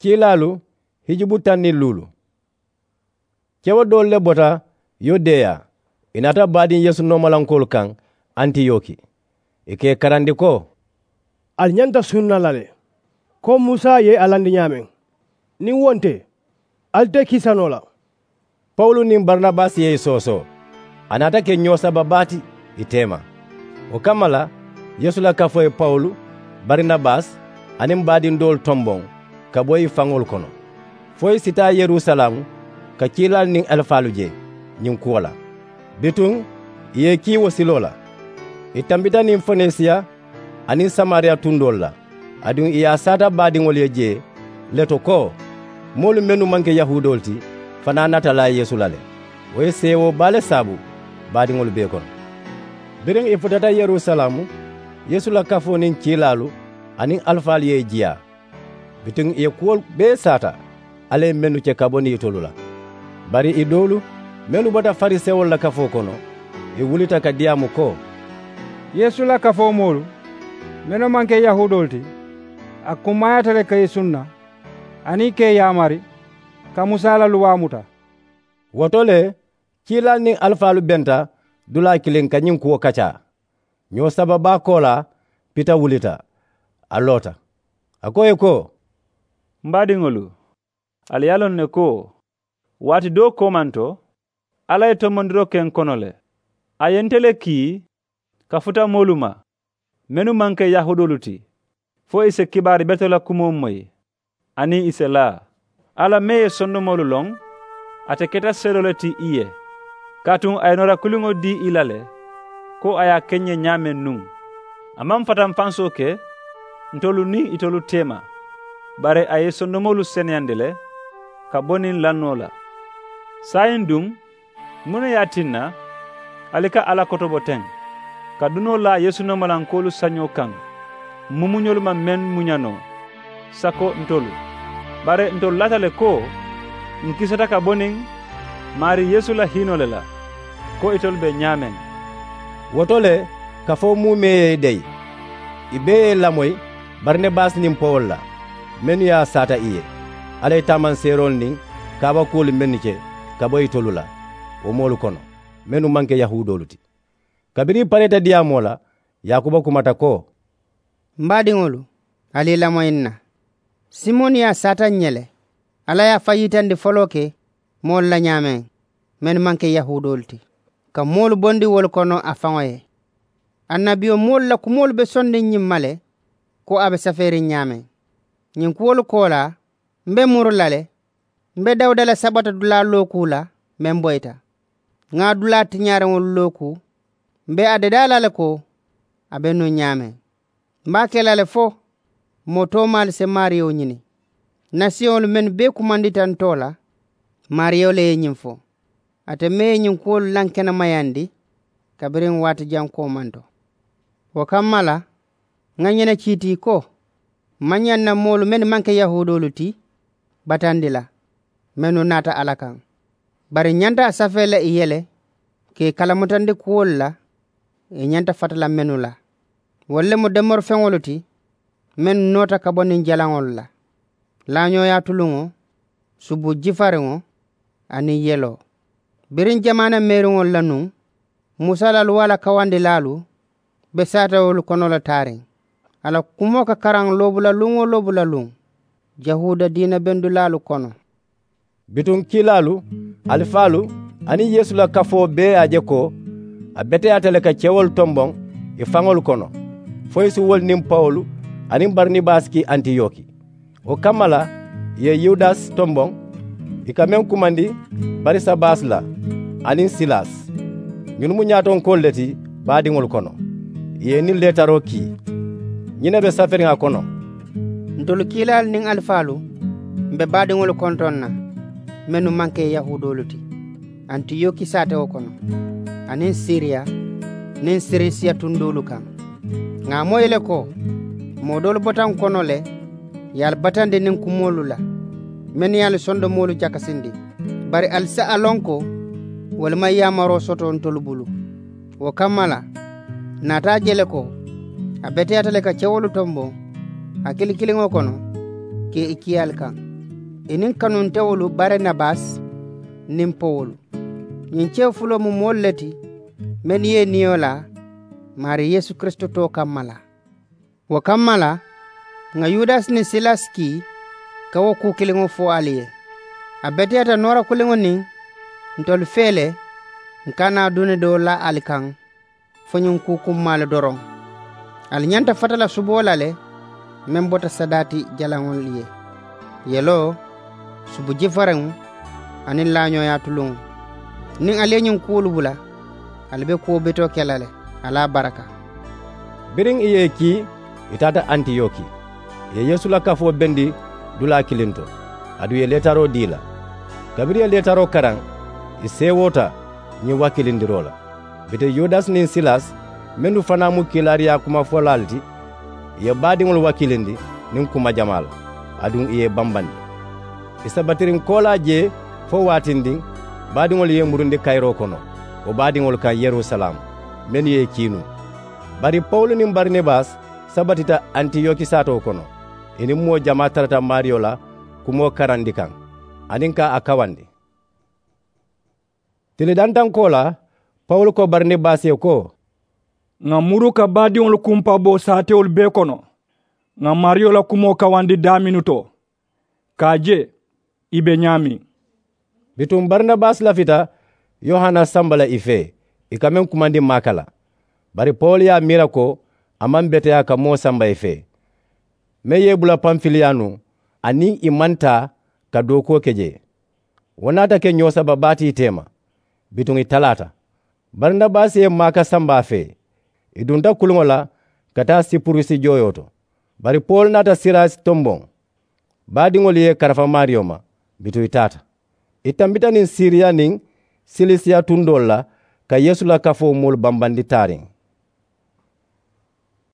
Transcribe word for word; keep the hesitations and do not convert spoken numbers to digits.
Kiilaalu hijubu taŋ niŋ luulu. Kewo doolu le bota yudeya, ì naata baadiŋ yeesu noomalankoolu kaŋ antiyoki. Ì ka ì karandi ko, ali ñanta sunna la le, ko musa ye a landi ñaameŋ. Niŋ wo nte, ali te kiisa noo la. Pawulu niŋ barinabasi ye ì soosoo, a naata ke ñoo saba baa ti ì teema. Wo kamma la, yeesu la kafoo ye pawulu, barinabasi, aniŋ baadiŋ doolu tomboŋ ka bo ì faŋolu kono, fo ì si taa yerusalaamu ka kiilaalu niŋ alifaalu je ñiŋ kuwo la. Bituŋ ì ye ì kii wo siloo la. Ì tambita niŋ fonesiya aniŋ samariya tundoolu la, aduŋ ì ye a saata baadiŋolu ye jee le to ko, moolu mennu maŋ ke yahuudoolu ti fanaa naata laa yeesu la le. Wo ye seewoo baa le saabu baadiŋolu bee kono. Biriŋ ì futata yerusalaamu, yeesu la kafoo niŋ kiilaalu aniŋ alifaalu ye ì jiyaa. Bituŋ ì ye kuwolu bee saata alla ye mennu ke ka bo niŋ itolu la. Bari ì doolu mennu bota farisewolu la kafoo kono, ì wulita ka diyaamu ko, yeesu la kafoo moolu mennu maŋ ke yahuudoolu ti, a kummaayaata le ka ì sunna aniŋ ka ì yaamari ka musa la luwaa muta. Wo to le, kiilaalu niŋ alifaalu benta dulaa kiliŋ ka ñiŋ kuwo kacaa. Ñoo saba baa koolaa pita wulita, a loota. A ko ì ye ko, m baadiŋolu, ali ye a loŋ ne ko waati doo koomanto alla ye tonbondiroo ke n kono le. A ye nte le kii ka futa moolu ma mennu maŋ ke yahuudoolu ti, fo ì si kibaari betoo la kumoo moyi aniŋ ì si laa. Alla meŋ ye sondomoolu loŋ, ate keta seedoo le ti ì ye. Kaatuŋ a ye noora kuliŋo dii ì la le ko a ye a ke n ye ñaameŋ nuŋ. A maŋ fatanfansoo ke ntolu niŋ itolu teema, bari a ye sondomoolu seneyandi le ka bo niŋ lannoo la. Saayiŋ duŋ, muŋ ne ye a tinna ali ka alla kotobo teŋ ka dunoo laa yeesu noomalankoolu sañoo kaŋ? Mumuñolu maŋ meŋ muña noo sako ntolu, bari ntolu laata le ko n kisata ka bo niŋ maarii yeesu la hiinoo le la, ko itolu be ñaameŋ. Wo to le, kafoo muumee ye ì deyi. Ì bee ye ì lamoyi barinabasi niŋ pawulu la, mennu ye a saata ì ye alla ye taamanseeroolu niŋ kaabakuwolu mennu ke ka bo itolu la, wo moolu kono mennu maŋ ke yahuudoolu ti. Kabiriŋ ì pareeta diyaamoo la, yaakuba kumata ko, m baadiŋolu, ali ì lamoyi n na. Simoni ye a saata n ye le, alla ye a fajitandi foloo ke moolu la ñaameŋ mennu maŋ ke yahuudoolu ti, ka moolu bondi wolu kono a faŋo ye. Annabiyomoolu la kumoolu be sondiŋ ñiŋ ma le, ko a be safeeriŋ ñaameŋ. Ñiŋ kuwolu koolaa, m be muru la le, m be dawuda la sabata dulaa lookuu la meŋ boyita. Ŋa a dulaa tiñaariŋolu lookuu, m be a dadaa la le ko a be nuŋ ñaameŋ. M be a ke la le fo moo toomaalu si maariyo ñini. Nasiyoŋolu mennu bee kumandita n too la, maariyo le ye ñiŋ fo. Ate meŋ ye ñiŋ kuwolu lankenemayandi kabiriŋ waati jaŋ koomanto. Wo kamma la, ŋa ñene kiitii ko, m maŋ ñaŋ na moolu mennu maŋ ke yahuudoolu ti batandi la, mennu naata alla kaŋ. Bari n ñanta a safee la ì ye le ka ì kalamutandi kuwolu la ì ñanta fata la mennu la. Wolu le mu domorifeŋolu ti mennu noota ka bo niŋ jalaŋolu la, laañooyaa tuluŋo, subu jifariŋo, aniŋ yeloo. Biriŋ jamaana meeriŋolu la nuŋ, musa la luwaa la kawandilaalu be saatewolu kono le taariŋ. A la kumoo ka karaŋ loobula luŋ-wo-loobula luŋ yahuuda diina bendulaalu kono. Bituŋ kiilaalu, alifaalu, aniŋ yeesu la kafoo bee ye a je ko a beteyaata le ka kewolu tomboŋ ì faŋolu kono, fo ì si wolu niŋ pawulu aniŋ barinabasi ki antiyoki. Wo kamma la, ì ye yudasi tomboŋ, ì ka meŋ kumandi barisabasi la, aniŋ silasi. Ñunu mu ñaatonkoolu le ti baadiŋolu kono. Ì ye ì niŋ leetaroo kii. Ñiŋ ne be saferiŋ a kono. Ntolu kiilaalu niŋ alifaalu, m be baadiŋolu kontoŋ na mennu maŋ ke yahuudoolu ti, antiyoki saatewo kono, aniŋ siriya niŋ sirisiya tundoolu kaŋ. Ŋà a moyi le ko, moo doolu bota n kono le, ye ali batandi niŋ kumoolu la mennu ye ali sondomoolu jakasindi. Bari ali si a loŋ ko wolu maŋ yaamaroo soto ntolu bulu. Wo kamma la, ǹ naata a je le ko a beteyaata le ka kewolu tomboŋ hakili kiliŋo kono ka ì kii ali kaŋ. I niŋ kanuntewolu barinabasi niŋ pawulu. Ñiŋ cewo fuloo mu moolu le ti mennu ye i niyo laa maari yeesu kirisitoo kamma la. Wo kamma la ŋà yudasi niŋ silasi kii ka wo kuu kiliŋo fo ali ye. A beteyaata noora kuliŋo niŋ ntolu fee le ǹ ka naa duni doo la ali kaŋ fo ñiŋ kuu kummaalu doroŋ. Ali ñanta fata la suboo la le meŋ bota sadaati jalaŋolu ye, yeloo, subu jifariŋo, aniŋ laañooyaa tuluŋo. Niŋ ali ye ñiŋ kuwolu bula ali be kuwo betoo ke la le. Ali a baraka. Biriŋ i ye i kii, i taata antiyoki. I ye yeesu la kafoo bendi dulaa kiliŋ to, aduŋ i ye leetaroo dii i la. Kabiriŋ i ye leetaroo karaŋ, i seewoota ñiŋ wakiilindiroo la. Bituŋ yudasi niŋ silasi mennu fanaa mu kiilaariyaa kumafolaalu ti, i ye baadiŋolu wakiilindi niŋ kuma jamaa la, aduŋ i ye i bambandi. I sabatiriŋ koolaa jee fo waatindiŋ, baadiŋolu ye i murundi kayiroo kono wo baadiŋolu kaŋ yerusalaamu, mennu ye i kii nuŋ. Bari pawulu niŋ barinabasi sabatita antiyoki saatoo kono. I niŋ moo jamaa tarata maariyo la kumoo karandi kaŋ aniŋ ka a kawandi. Tili dantankoo la, pawulu ko barinabasi ye ko, ŋà muru ka baadiŋolu kumpa bo saatewolu bee kono, ŋà maariyo la kumoo kawandi daaminuto ka a je i be ñaameŋ. Bituŋ barinabasi lafita yohana samba la i fee, i ka meŋ kumandi maaka la. Bari pawulu ye a miira ko a maŋ beteyaa ka moo samba i fee, meŋ ye i bula panfiliyaanu, aniŋ i maŋ taa ka dookuwo ke jee. Wo naata ke ñoo saba baa ti i teema. Bituŋ i talaata. Barinabasi ye maaka samba a fee, i dunta kuliŋo la ka taa sipurusi jooyoo to. Bari pawulu naata sirasi tomboŋ. Baadiŋolu ye i karafa maariyo ma, bituŋ i taata. I tambita niŋ siriya niŋ silisiya tundoolu la ka yeesu la kafoo moolu bambandi taariŋ.